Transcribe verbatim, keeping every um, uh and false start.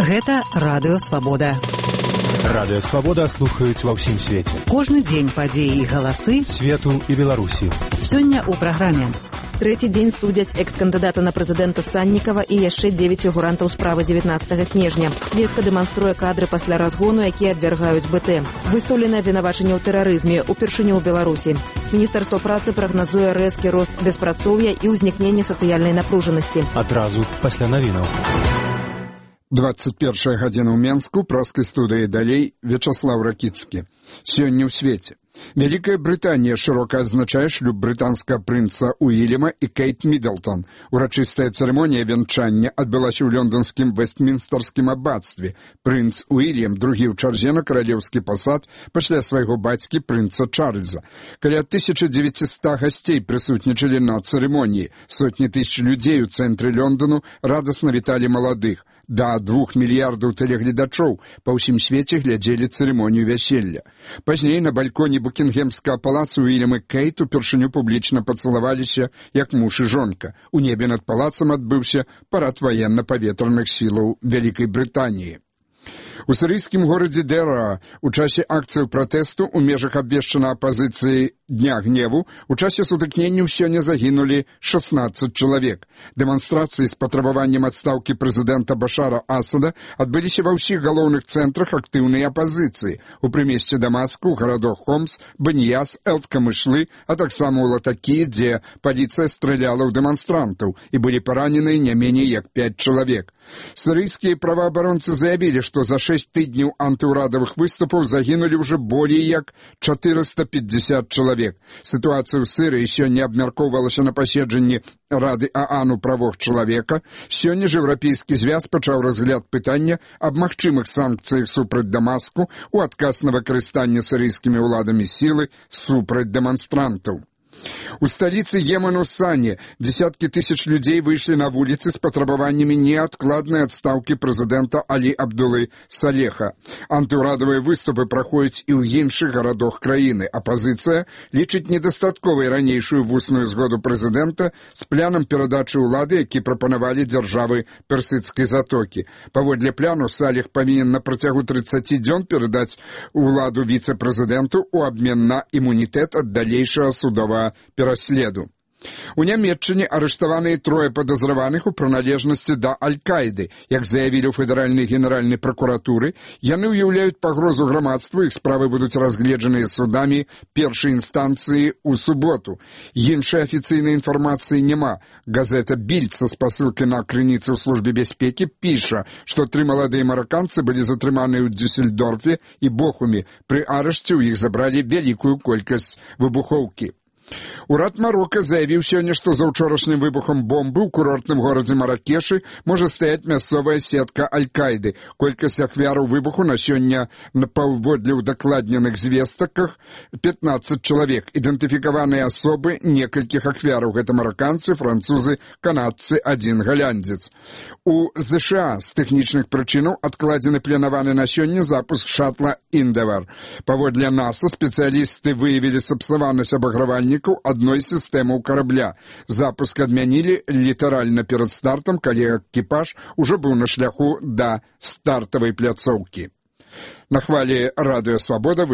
Гэта Радыё Свабода. Радыё Свабода слухаюць ва ўсім свеце. Кожны дзень падзеі і галасы свету і Беларусі. Сёння ў праграме. Трэці дзень судзяць экс-кандыдата на прэзідэнта Саннікава і яшчэ дзевяць фігурантаў справы дзевятнаццатага снежня. Сведка дэманструе кадры пасля разгону, якія абвяргаюць БТ. Выстаўлена абвінавачанне ў тэрарызме упершыню ў Беларусі. Міністэрства працы прагназуе рэзкі рост беспрацоўя і ўзнікненне сацыяльнай напружанасці. Адразу пасля навінаў. двадцать первая гадзіна ў Менску, праскай студыі далей Вячаслав Ракіцкі. Сёння ў свеце. Вялікая Брытанія шырока адзначае шлюб брытанскага прынца Уільяма і Кейт Міддлтон. Урачыстая цырымонія вянчання адбылася ў лёнданскім Вэстмінстарскім аббацтве. Прынц Уільям другі ў чарзе на каралеўскі пасад пасля свайго бацькі прынца Чарльза. Каля тысяча дзевяцьсот гасцей прысутнічалі на цырымоніі. Сотні тысяч людзей у цэнтры Лёндану радасна віталі маладых. Да двух мільярдаў тэлегледачоў па ўсім свеце глядзелі цырымонію вяселля. Пазней на бальконе Букінгемскага палаца Уільям і Кейт упершыню публічна пацалаваліся як муж і жонка. У небе над палацам адбыўся парад ваенна-паветраных сілаў Вялікай Брытаніі. У сірыйскім горадзе Дэра у часе акцыяў пратэсту ў межах абвешчана апазіцыі Дня гневу у часе сутыкненняў сёння загінулі шаснаццаць чалавек. Дэманстрацыі з патрабаваннем адстаўкі прэзідэнта Башара Асада адбыліся ва ўсіх галоўных цэнтрах актыўнай апазіцыі у прымесце Дамаску, гарадах Хомс, Баньяс, Элт-Камышлы, а таксама ў Латакі, дзе паліцыя страляла ў дэманстрантаў і былі параненыя не меней як пяць чалавек. Сірыйскія праваабаронцы заявілі, што за шэсць тыдняў антыўрадавых выступаў загінулі ўжо болей як чатырыста пятьдесят чалавек. Сітуацыя ў Сірыі сёння абмяркоўвалася на паседжанні Рады ААН у правах чалавека. Сёння ж Еўрапейскі звяз пачаў разгляд пытання аб магчымых санкцыях супраць Дамаску у адказ на выкарыстанне сірыйскімі ўладамі сілы супраць дэманстрантаў. У сталіцы Йемену Сане десяткі тысяч людзей выйшлі на вуліцы з патрабаваннямі неадкладнай адстаўкі прэзідэнта Алі Абдулы Салеха. Антыўрадавыя выступы праходзяць і ў іншых гарадах краіны. Апазіцыя лічыць недастатковай ранейшую вусную згоду прэзідэнта з планам перадачы ўлады, які прапанавалі дзяржавы Персідскай затокі. Паводле плану Салех павінен на працягу трыццаці дзён перадаць уладу віцэ-прэзідэнту ў абмен на імунітэт ад далейшага судовага пераследу. У Нямецчыне арыштаваныя трое падазраваных у прыналежнасці да Аль-Каіды. Як заявілі ў федэральнай генеральнай пракуратуры, яны ўяўляюць пагрозу грамадству, іх справы будуць разгледжаныя судамі першай інстанцыі ў суботу. Іншай афіцыйнай інфармацыі няма. Газета «Більд» са спасылкай на крыніцы ў службе бяспекі піша, што тры маладыя мараканцы былі затрыманыя ў Дюссельдорфе і Бохуме. Пры арышце ў іх забралі вялікую колькасць выбухоўкі. Урад Марока заявіў сёння, што за ўчорашнім выбухам бомбы ў курортным горадзе Маракешы можа стаяць мясцовая сетка Аль-Каіды. Колькасць ахвяраў выбуху на сёння на паводле ўдакладненых звестках пятнаццаць чалавек. Ідэнтыфікаваныя асобы некалькіх ахвяраў. Гэта мараканцы, французы, канадцы, адзін галяндзец. У ЗША з тэхнічных прычынаў адкладзены планаваны на сёння запуск шатла «Индевар». Паводле НАСА спецыялісты выявілі сапсаванасць абагравальніка адной сістэмы карабля. Запуск адмянілі літаральна перад стартам, калі экіпаж ужо быў на шляху да стартавай пляцоўкі. На хвалі Радыё Свабода